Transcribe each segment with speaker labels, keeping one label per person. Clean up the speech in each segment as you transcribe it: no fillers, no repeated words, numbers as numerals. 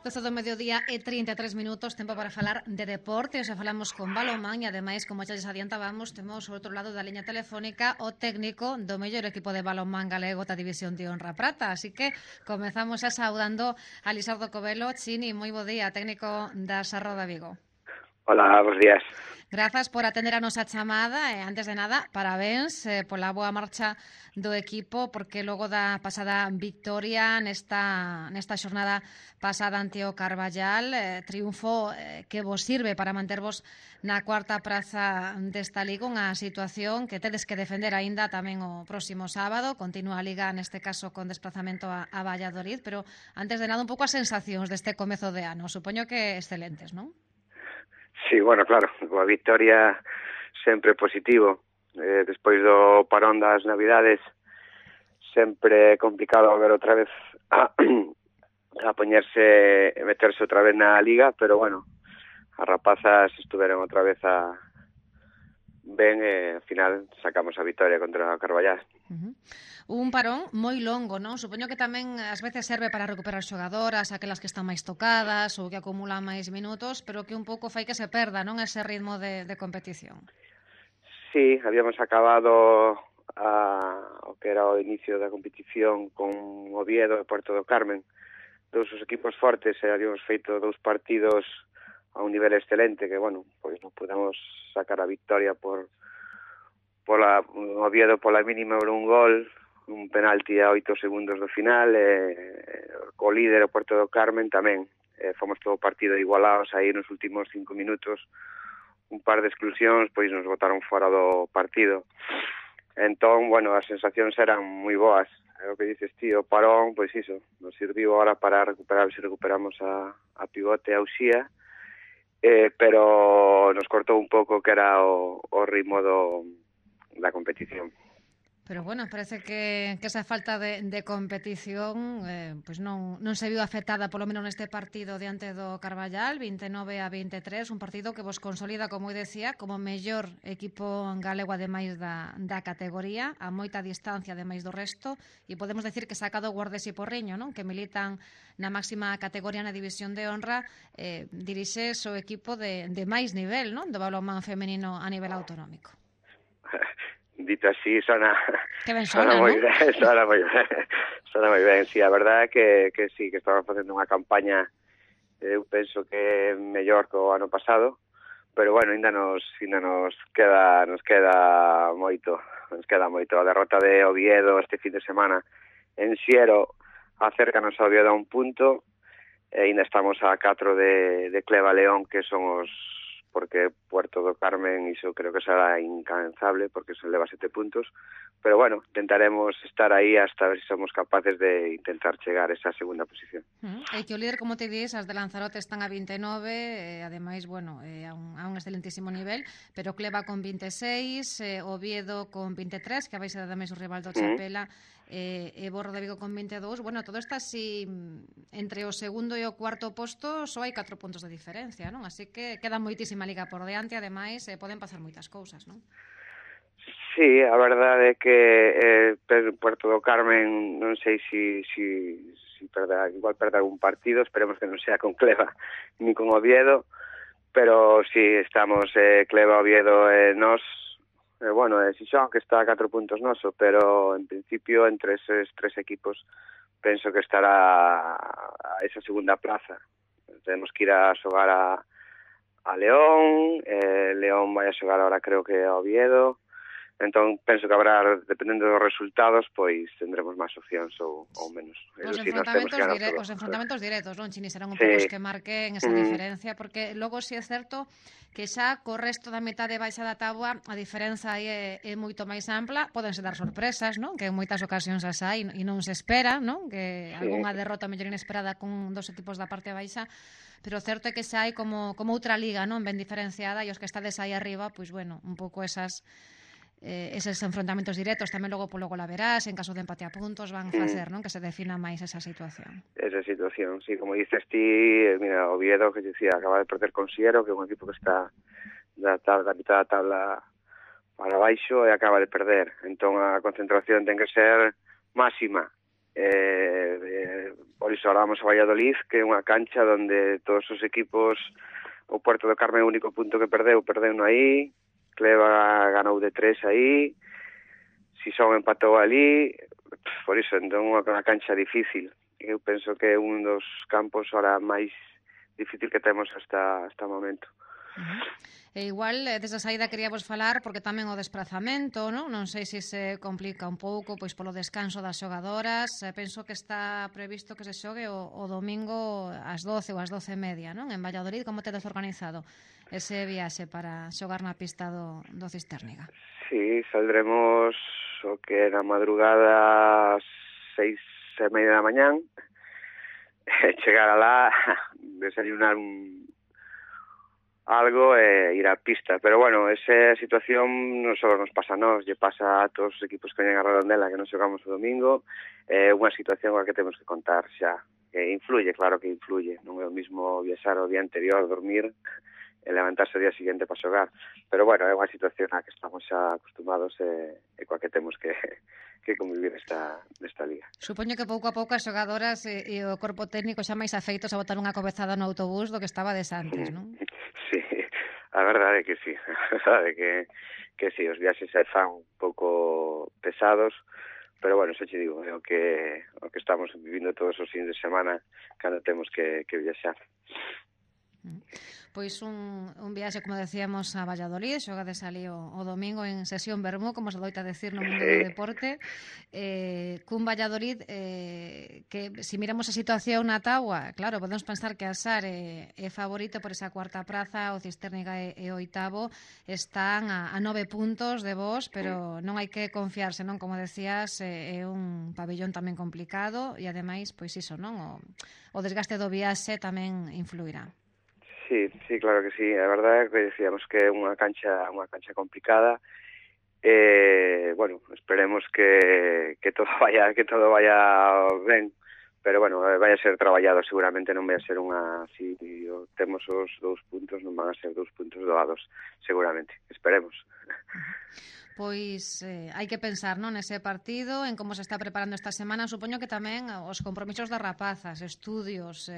Speaker 1: 12 do mediodía e 33 minutos, tempo para falar de deporte. Xa falamos con balonmán e ademais, como xa les adiantábamos, temos ao outro lado da liña telefónica o técnico do mellor equipo de balonmán galego da División de Honra Prata. Así que comezamos xa saudando a Lisardo Covelo. Chini, moi bo día, técnico da Sarro de Vigo.
Speaker 2: Hola, bons días.
Speaker 1: Grazas por atender a nosa chamada e, antes de nada, parabéns pola boa marcha do equipo, porque logo da pasada victoria nesta xornada pasada ante o Carballal, triunfo que vos sirve para mantervos na cuarta praza desta liga, unha situación que tedes que defender aínda tamén o próximo sábado. Continúa a liga, neste caso, con desplazamento a Valladolid, pero antes de nada, un pouco as sensacións deste comezo de ano. Supoño que excelentes, non?
Speaker 2: Sí, bueno, claro, coa victoria sempre positivo. Despois do parón das Navidades, sempre é complicado volver outra vez a poñerse e meterse outra vez na Liga, pero bueno, as rapazas estuveron outra vez ben e ao final sacamos a victoria contra o Carballal.
Speaker 1: Un parón moi longo, non? Supoño que tamén ás veces serve para recuperar xogadoras, aquelas que están máis tocadas ou que acumulan máis minutos, pero que un pouco fai que se perda, non, ese ritmo de competición.
Speaker 2: Sí, habíamos acabado o que era o inicio da competición con Oviedo e Puerto do Carmen, dous os equipos fortes, e habíamos feito 2 partidos a un nivel excelente, que, bueno, pois non pudemos sacar a victoria por Oviedo pola mínima por un gol, un penalti a 8 segundos do final, co líder o Puerto do Carmen tamén. Fomos todo partido igualados aí nos últimos 5 minutos, un par de exclusións, pois nos botaron fora do partido. Entón, bueno, as sensacións eran moi boas. É o que dices ti, o parón, pois iso, nos serviu ahora para recuperar, se recuperamos a Pivote e a Uxía, pero nos cortou un pouco que era o ritmo da competición.
Speaker 1: Pero bueno, parece que esa falta de competición pois non se viu afectada, polo menos neste partido diante do Carballal, 29-23, un partido que vos consolida, como eu decía, como mellor equipo galego ademais da categoría, a moita distancia ademais do resto, e podemos decir que sacado Guardes e Porriño, non? Que militan na máxima categoría na División de Honra, dirixes o equipo de máis nivel, non? Do balonmán femenino a nivel autonómico.
Speaker 2: Dito así, sona
Speaker 1: moi
Speaker 2: ben, sona moi ben. Sí, a verdade é que sí, que estamos facendo unha campaña, eu penso que mellor que o ano pasado, pero bueno, ainda nos queda moito. A derrota de Oviedo este fin de semana en Siero acércanos a Oviedo a un punto, e ainda estamos a 4 de Cleva León, que son os, porque Puerto do Carmen iso creo que será incansable, porque se leva 7 puntos, pero bueno, intentaremos estar aí hasta ver se somos capaces de intentar chegar a esa segunda posición.
Speaker 1: E que o líder, como te dis, as de Lanzarote están a 29, ademais, bueno, a un excelentísimo nivel, pero Cleva con 26, Oviedo con 23, que vais a ademais o rival do Chapela, e Borro de Vigo con 22. Bueno, todo está así, entre o segundo e o cuarto posto só hai 4 puntos de diferencia, non? Así que queda moitísima liga por diante, ademais, poden pasar moitas cousas, non?
Speaker 2: Sí, a verdade é que Puerto do Carmen non sei si perder, igual perder algún partido, esperemos que non sea con Cleva ni con Oviedo, pero si estamos Cleva, Oviedo e nós, bueno, Xixón que está a 4 puntos noso, pero en principio entre eses 3 equipos penso que estará a esa segunda plaza. Tenemos que ir a xogar a León, León vai a xogar ahora creo que a Oviedo. Entón, penso que habrá, dependendo dos resultados, pois tendremos máis opcións ou menos.
Speaker 1: Os enfrontamentos directos, non, Chini, serán un pouco os que marquen esa diferencia, porque logo si é certo que xa co resto da metade baixa da táboa a diferenza aí é moito máis ampla. Pódense dar sorpresas, non? Que en moitas ocasións as hai e non se espera, non? Que algunha derrota mellor inesperada con dos equipos da parte baixa, pero certo é que xa hai como outra liga, non? Ben diferenciada, e os que estades aí arriba, pois bueno, un pouco eses enfrontamentos directos tamén logo polo gol a verás, en caso de empate a puntos van facer, non, que se defina máis esa situación.
Speaker 2: Esa situación, sí, como dices ti, mira, Oviedo, que dicía, acaba de perder con Siero, que é un equipo que está da mitad da tabla para baixo e acaba de perder. Entón a concentración ten que ser máxima. por iso ahora vamos a Valladolid, que é unha cancha onde todos os equipos, o Puerto do Carme é o único punto que perdeu no aí, Cleva ganou de 3 aí, Sison empatou ali, por iso, entón unha cancha difícil. Eu penso que é un dos campos ahora máis difícil que temos hasta o momento.
Speaker 1: E igual, desa saída queríamos falar porque tamén o desprazamento, non sei se se complica un pouco pois polo descanso das xogadoras. Penso que está previsto que se xogue o domingo ás 12 ou ás 12:30, non? En Valladolid, como tedes organizado ese viaxe para xogar na pista do Cistérniga?
Speaker 2: Sí, saldremos o que na madrugada ás 6:30 da mañán, chegar alá, desayunar algo e ir á pista. Pero bueno, esa situación non só nos pasa a nós, lle pasa a todos os equipos que veñen a Redondela que non xogamos o domingo. É unha situación a que temos que contar xa. Influye, claro que influye. Non é o mismo viaxar o día anterior, dormir e levantarse o día seguinte para xogar. Pero bueno, é unha situación a que estamos xa acostumados e coa que temos que convivir nesta liga.
Speaker 1: Supoño que pouco a pouco as xogadoras e o corpo técnico xa máis afeitos a botar unha cabezada no autobús do que estabades antes, non?
Speaker 2: Sí, a verdade é que sí. A verdade é que sí, os viaxes se fan un pouco pesados, pero bueno, xa che digo, é o que estamos vivindo todos os fins de semana cando temos que viaxar.
Speaker 1: Pois un viaxe, como decíamos, a Valladolid, xogades ali o domingo en sesión vermú, como se doita decir no mundo do deporte, cun Valladolid que, se miramos a situación na táboa, claro, podemos pensar que a SAR é favorito por esa cuarta praza, o Cistérniga e o oitavo están a 9 puntos de vos, pero non hai que confiarse, non? Como decías, é un pabellón tamén complicado e, ademais, pois iso, non? O desgaste do viaxe tamén influirá.
Speaker 2: Sí, claro que sí. A verdade é que decíamos que é unha cancha complicada. Bueno, esperemos que todo vaya ben, pero bueno, vai a ser traballado, seguramente non vai a ser unha, si temos os 2 puntos, non van a ser 2 puntos doados, seguramente, esperemos.
Speaker 1: Pois hai que pensar, non, nese partido, en como se está preparando esta semana. Supoño que tamén os compromisos das rapazas, estudios,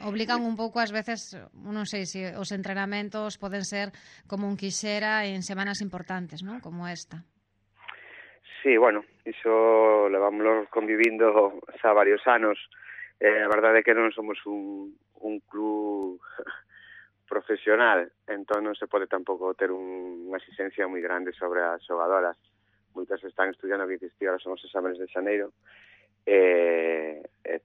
Speaker 1: obligan un pouco ás veces, non sei se os entrenamentos poden ser como un quixera en semanas importantes, non, como esta.
Speaker 2: Sí, bueno, iso levámoslo convivindo xa varios anos. A verdade é que non somos un club profesional, entón non se pode tampouco ter unha exigencia moi grande sobre as xogadoras. Moitas están estudiando, que ahora son os exámenes de xaneiro,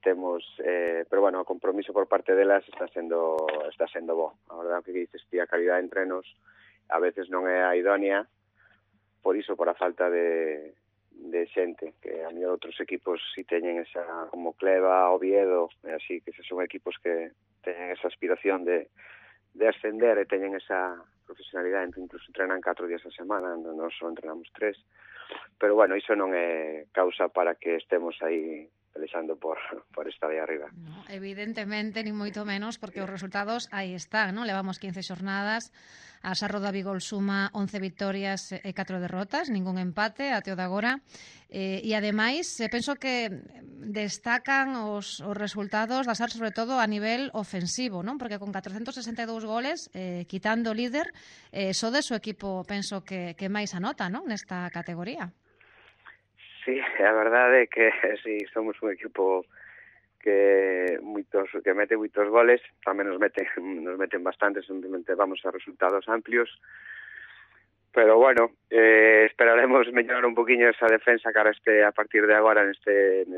Speaker 2: temos, pero bueno, o compromiso por parte delas está sendo bo. A verdade é que dices ti, a calidad de entrenos a veces non é a idónea, por iso, por a falta de xente, que a mellor outros equipos si teñen esa, como Cleva, Oviedo, así que son equipos que teñen esa aspiración de ascender e teñen esa profesionalidade, incluso entrenan 4 días a semana, nós só entrenamos 3, pero bueno, iso non é causa para que estemos aí pelexando por estar aí arriba.
Speaker 1: No, evidentemente, ni moito menos, porque os resultados aí están, non? Levamos 15 xornadas, a Sarro da Vigol suma 11 victorias e 4 derrotas, ningún empate até o de agora, e ademais, penso que destacan os resultados da SAR, sobre todo a nivel ofensivo, non? Porque con 462 goles, quitando o líder, sodes o equipo, penso que máis anota, non? Nesta categoría.
Speaker 2: Sí, a verdade é que sí, somos un equipo que mete moitos goles, tamén nos meten bastantes, simplemente vamos a resultados amplios, pero bueno, esperaremos mellorar un poquinho esa defensa cara a partir de agora neste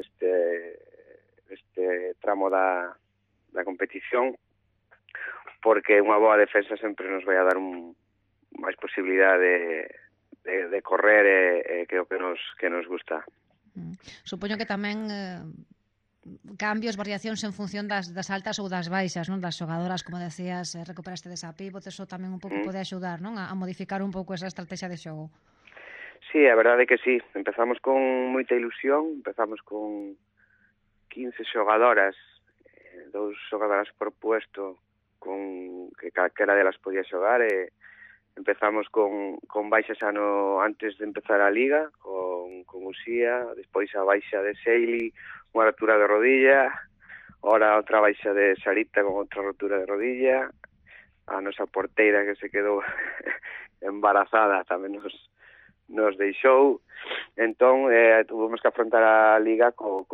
Speaker 2: tramo da competición, porque unha boa defensa sempre nos vai a dar máis posibilidade de correr, que é o que nos gusta.
Speaker 1: Supoño que tamén cambios, variacións en función das altas ou das baixas, non? Das xogadoras, como decías, recuperaste desa pívot, eso tamén un pouco pode axudar, non? A modificar un pouco esa estrategia de xogo.
Speaker 2: Sí, a verdade é que sí. Empezamos con moita ilusión, empezamos con 15 xogadoras, 2 xogadoras por puesto, con que calquera delas podía xogar, e empezamos con baixas antes de empezar a Liga, con Uxía, despois a baixa de Seili, unha rotura de rodilla, ora outra baixa de Sarita con outra rotura de rodilla, a nosa porteira que se quedou embarazada tamén nos deixou, entón tuvimos que afrontar a Liga co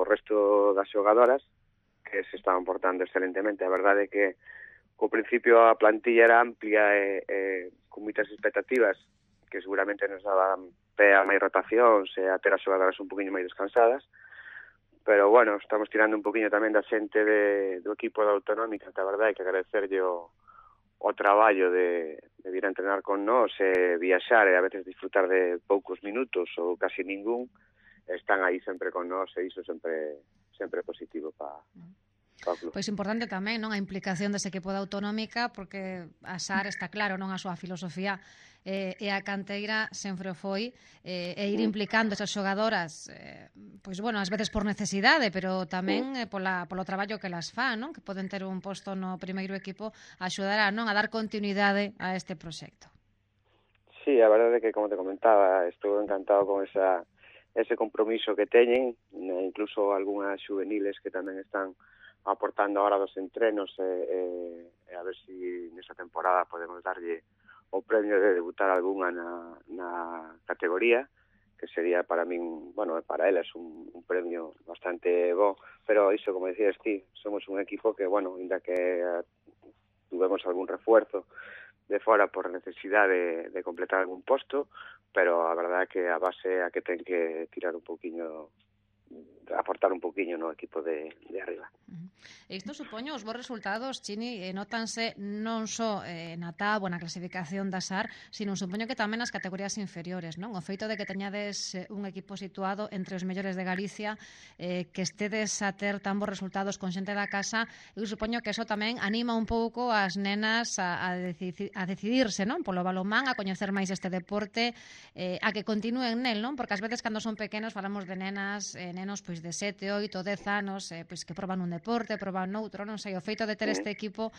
Speaker 2: resto das xogadoras que se estaban portando excelentemente. A verdade é que ao principio a plantilla era amplia e con moitas expectativas que seguramente nos daban pé a máis rotacións e a ter as xogadoras un poquinho máis descansadas, pero bueno, estamos tirando un poquinho tamén da xente do equipo da Autonómica, que a verdade é que agradecerlle o traballo de vir a entrenar con nós e viaxar e a veces disfrutar de poucos minutos ou casi ningún, están aí sempre con nós e iso sempre positivo para
Speaker 1: Pois importante tamén, non, a implicación dese equipo da Autonómica, porque a SAR está claro, non, a súa filosofía e a canteira sempre o foi, e ir implicando esas xogadoras, pois bueno, ás veces por necesidade, pero tamén polo traballo que las fan, non, que poden ter un posto no primeiro equipo, axudará, non, a dar continuidade a este proxecto.
Speaker 2: Sí, a verdade é que, como te comentaba, estou encantado con ese compromiso que teñen, incluso algunhas juveniles que tamén están aportando ahora dos entrenos e a ver si nesa temporada podemos darlle o premio de debutar algunha na categoría, que sería para min, bueno, para elas un premio bastante bo, pero iso, como decías ti, somos un equipo que, bueno, ainda que tuvemos algún refuerzo de fora por necesidade de completar algún posto, pero a verdade é que a base a que ten que tirar un pouquiño, aportar un poquinho no equipo de arriba.
Speaker 1: Isto supoño os bons resultados, Chini, notanse non só na táboa, na clasificación da SAR, sino supoño que tamén nas categorías inferiores, non? O feito de que teñades un equipo situado entre os mellores de Galicia, que estedes a ter tan bons resultados con xente da casa, eu supoño que eso tamén anima un pouco as nenas a decidirse, non? Polo balonmán, a coñecer máis este deporte, a que continúen nel, non? Porque ás veces cando son pequenos falamos de nenas, nenos pois de 7, 8, 10 anos, pois que proban un deporte, proban noutro, non sei, o feito de ter este equipo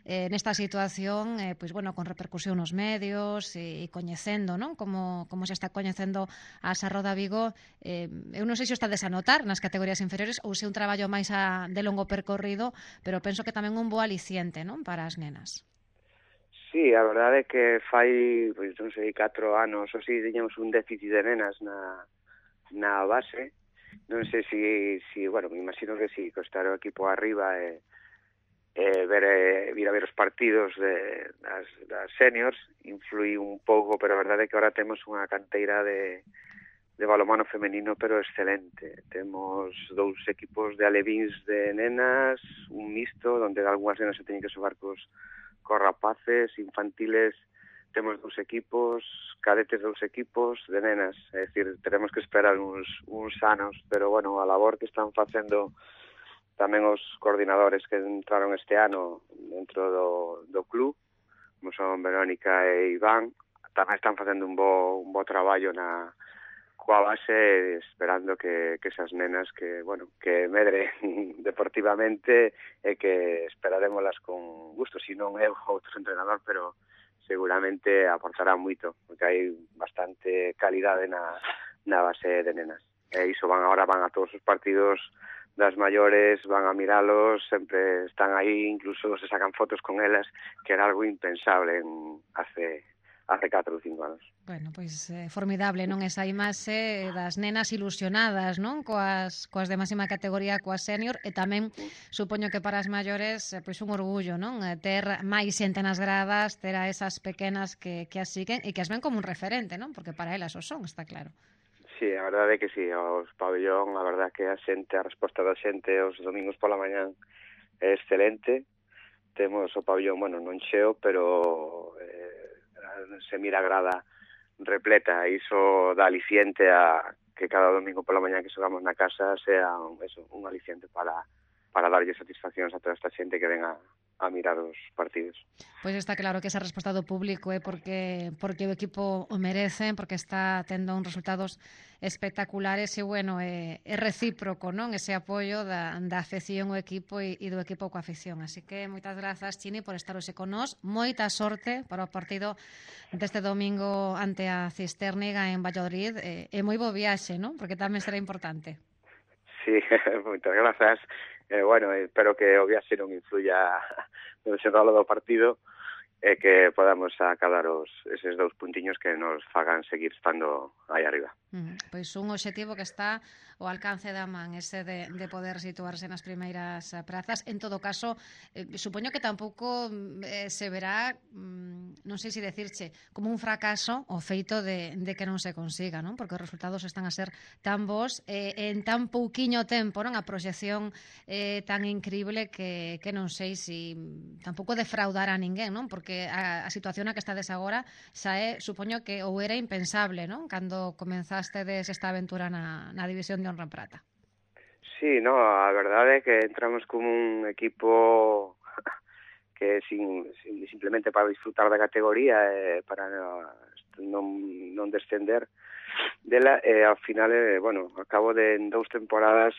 Speaker 1: nesta situación, pois bueno, con repercusión nos medios e coñecendo, non? Como se está coñecendo a Sarroda Vigo, eu non sei se o estades a notar nas categorías inferiores ou se un traballo máis de longo percorrido, pero penso que tamén un bo aliciente, non? Para as nenas.
Speaker 2: Sí, a verdade é que fai, pois non sei, 4 anos ou si, tiñamos un déficit de nenas na base. Non sei si bueno, me imagino que si, estar o equipo arriba e vir a ver os partidos das seniors influí un pouco, pero a verdade é que ahora temos unha canteira de balonmano femenino, pero excelente. Temos 2 equipos de alevíns de nenas, un mixto, onde algunhas nenas se teñen que xogar cos rapaces, infantiles. Temos 2 equipos, cadetes 2 equipos de nenas, é dicir, teremos que esperar uns anos, pero bueno, a labor que están facendo tamén os coordinadores que entraron este ano dentro do club, como son Verónica e Iván, tamén están facendo un bo traballo coa base, esperando que esas nenas que medren deportivamente e que esperarémolas con gusto, si non eu outro entrenador, pero seguramente aportará moito, porque hai bastante calidade na base de nenas. E iso van a todos os partidos das maiores, van a miralos, sempre están aí, incluso se sacan fotos con elas, que era algo impensable hace 4 ou 5 anos.
Speaker 1: Bueno, pois formidable, non, esa imaxe das nenas ilusionadas, non, coas de máxima categoría, coas senior, e tamén supoño que para as maiores pois un orgullo, non, ter máis xente nas gradas, ter a esas pequenas que as siguen e que as ven como un referente, non, porque para elas o son, está claro.
Speaker 2: Sí, a verdade é que sí, os pabellón, a verdade é que a resposta da xente os domingos pola mañán é excelente. Temos o pabellón, bueno, non cheo, pero se mira a grada repleta, e iso dá aliciente a que cada domingo pola mañá que xogamos na casa sea un aliciente para darlle satisfaccións a toda esta xente que ven a mirar os partidos.
Speaker 1: Pois está claro que esa resposta do público é porque o equipo o merece, porque está tendo uns resultados espectaculares e, bueno, é recíproco, non? Ese apoio da afección ao equipo e do equipo coa afección. Así que moitas grazas, Chini, por estar hoxe con nós. Moita sorte para o partido deste domingo ante a Cistérniga en Valladolid. E moi bo viaxe, non? Porque tamén será importante.
Speaker 2: Sí, moitas grazas. Bueno, espero que o viaxe non influya no desenrolo do partido e que podamos acadar eses 2 puntiños que nos fagan seguir estando aí arriba.
Speaker 1: Pois un obxectivo que está ao alcance da man, ese de poder situarse nas primeiras prazas. En todo caso, supoño que tampouco se verá, non sei se decirche, como un fracaso o feito de que non se consiga, non? Porque os resultados están a ser tan bons en tan pouquiño tempo, non? A proxección tan increíble que non sei se tampouco defraudar a ninguén, non? Porque a situación na que estades agora xa supoño que ou era impensable, non? Cando comenzastedes esta aventura na División de Honra en Prata.
Speaker 2: Sí, no, a verdade é que entramos como un equipo que simplemente para disfrutar da categoría para non descender dela, e ao final, bueno, ao cabo de 2 temporadas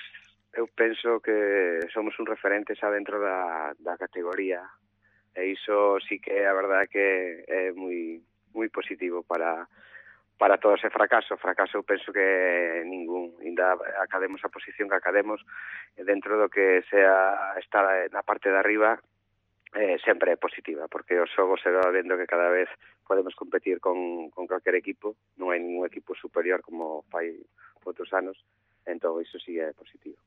Speaker 2: eu penso que somos un referente xa dentro da categoría, e iso sí que a verdade que é moi positivo para todo ese fracaso. Fracaso eu penso que ningún, ainda academos a posición que academos dentro do que sea estar na parte de arriba, sempre é positiva, porque o xogo se va vendo que cada vez podemos competir con calquer equipo, non hai ningún equipo superior como fai outros anos, entón iso sí é positivo.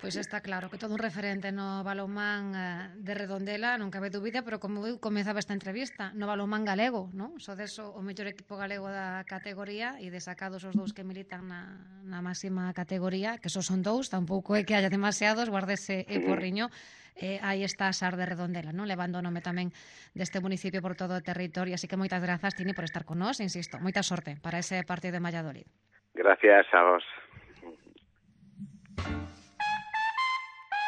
Speaker 1: Pois está claro que todo un referente no balonmán de Redondela, non cabe dúbida, pero como eu comezaba esta entrevista, no balonmán galego, non? Sodes o mellor equipo galego da categoría e desacados os 2 que militan na máxima categoría, que só son 2, tampouco é que haya demasiados, guardese e porriño, aí está a SAR de Redondela, non? Levando o nome tamén deste municipio por todo o territorio, así que moitas grazas, Tini, por estar con nós, insisto, moita sorte para ese partido de Valladolid.
Speaker 2: Gracias a vos.